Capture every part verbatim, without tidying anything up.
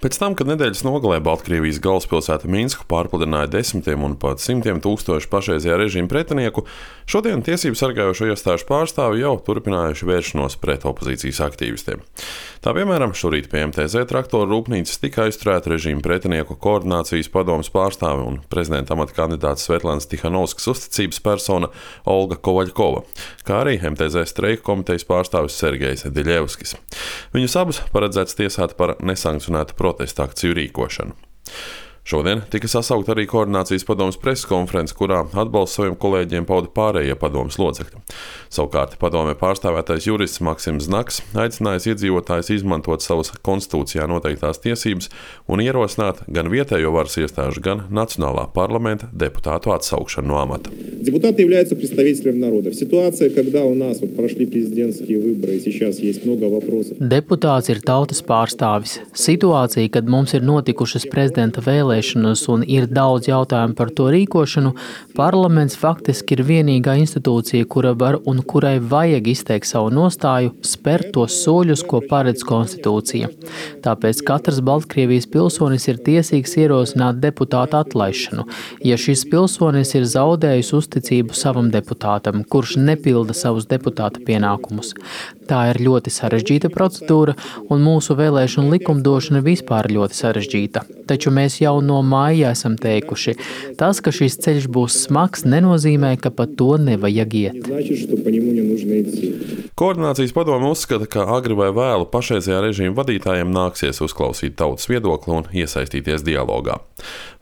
Pēc tam, kad nedēļas nogalē Baltkrievijas galvaspilsētu Minsku pārpludināja desmitiem un pat simtiem tūkstošu pašreizējā režīma pretinieku, šodien tiesību sargājošo iestāžu pārstāvi jau turpinājuši vēršanos pret opozīcijas aktīvistiem. Tā piemēram, šorīt pie M T Z traktoru rūpnīcas tika aizturēta režīma pretinieku koordinācijas padomes pārstāve un prezidenta amata kandidāts Svetlanas Tihanovskas uzticības persona Olga Kovaļkova, kā arī M T Z streika komitejas pārstāvis Sergejs Diļevskis. Viņus abus paredzēts tiesāt par nesankcionētu protesta akciju rīkošanu. Šodien tika sasaukta arī koordinācijas padomes preses konference, kurā atbalstu saviem kolēģiem pauda pārējie padomes locekļi. Savukārt padomē pārstāvētais jurists Maksims Znaks aicinājis iedzīvotājus izmantot savas konstitūcijā noteiktās tiesības un ierosināt gan vietējo varas iestāžu, gan Nacionālā parlamenta deputātu atsaukšanu no amata. Депутаты являются представителем народа. В ситуации, когда у нас вот прошли президентские выборы, и сейчас есть много вопросов. Deputāts ir tautas pārstāvis. Situācija, kad mums ir notikušas prezidenta vēlēšanas un ir daudz jautājumu par to rīkošanu, parlaments faktiski ir vienīgā institūcija, kura var un kurai vajag izteikt savu nostāju, spērt tos soļus, ko paredz konstitūcija. Tāpēc katrs Baltkrievijas pilsonis ir tiesīgs ierosināt deputātu atlaišanu, ja šis pilsonis ir zaudējis uzticību savam deputātam, kurš nepilda savus deputāta pienākumus. Tā ir ļoti sarežģīta procedūra, un mūsu vēlēšanu likumdošana vispār ļoti sarežģīta. Taču mēs jau no māja esam teikuši, tas, ka šis ceļš būs smags, nenozīmē, ka pa to nevajag iet. Koordinācijas padome uzskata, ka agri vai vēlu pašreizējā režīma vadītājiem nāksies uzklausīt tautas viedokli un iesaistīties dialogā.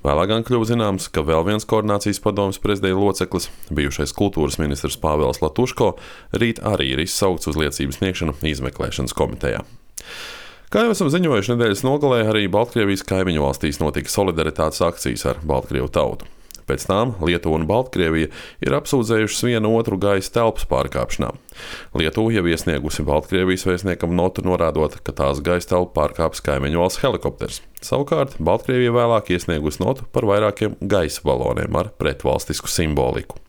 Vēlāk gan kļuva zināms, ka vēl viens koordinācijas padomes prezidija loceklis, bijušais kultūras ministrs Pāvels Latuško, rīt arī ir izsaukts uz liecības sniegšanu izmeklēšanas komitejā. Kā jau esam ziņojuši, nedēļas nogalē arī Baltkrievijas kaimiņu valstīs notika solidaritātes akcijas ar Baltkrievu tautu. Pēc tām Lietuva un Baltkrievija ir apsūdzējušas vienu otru gaisa telpas pārkāpšanā. Lietuva jau iesniegusi Baltkrievijas vēstniekam notu norādot, ka tās gaisa telpu pārkāpis kaimiņu valsts helikopters. Savukārt Baltkrievija vēlāk iesniegusi notu par vairākiem gaisa baloniem ar pretvalstisku simboliku.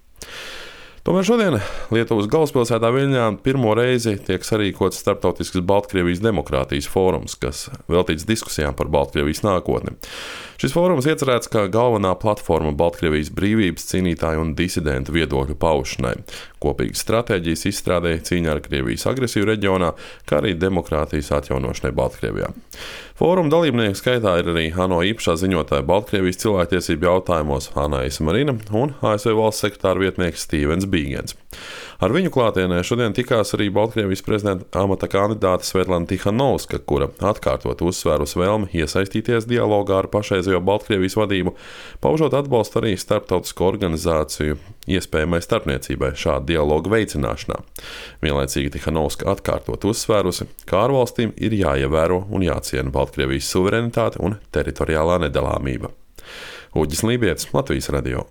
Tomēr šodien Lietuvas galvaspilsētā Viļņā pirmo reizi tiek sarīkots starptautisks Baltkrievijas demokrātijas fórums, kas veltīts diskusijām par Baltkrievijas nākotni. Šis fórums iecerēts kā galvenā platforma Baltkrievijas brīvības cīnītāju un disidentu viedokļu paušanai, kopīgas stratēģijas izstrādē cīņā ar Krievijas agresiju reģionā, kā arī demokrātijas atjaunošanai Baltkrievijā. Fóruma dalībnieku skaitā ir arī ANO īpašā ziņotāja Baltkrievijas cilvēktiesību jautājumos Anaisa Marina un A S V valsts sekretāra vietnieks Stīvens Bīgens. Ar viņu klātienē šodien tikās arī Baltkrievijas prezidenta amata kandidāte Svetlana Tihanovska, kura atkārtot uzsvērus vēlmi iesaistīties dialogā ar pašreizējo Baltkrievijas vadību, paužot atbalstu arī starptautisko organizāciju iespējamai starpniecībai šāda dialoga veicināšanā. Vienlaicīgi Tihanovska atkārtot uzsvērusi, ka ārvalstīm ir jāievēro un jāciena Baltkrievijas suverenitāte un teritoriālā nedalāmība. Uģis Lībietis, Latvijas radio.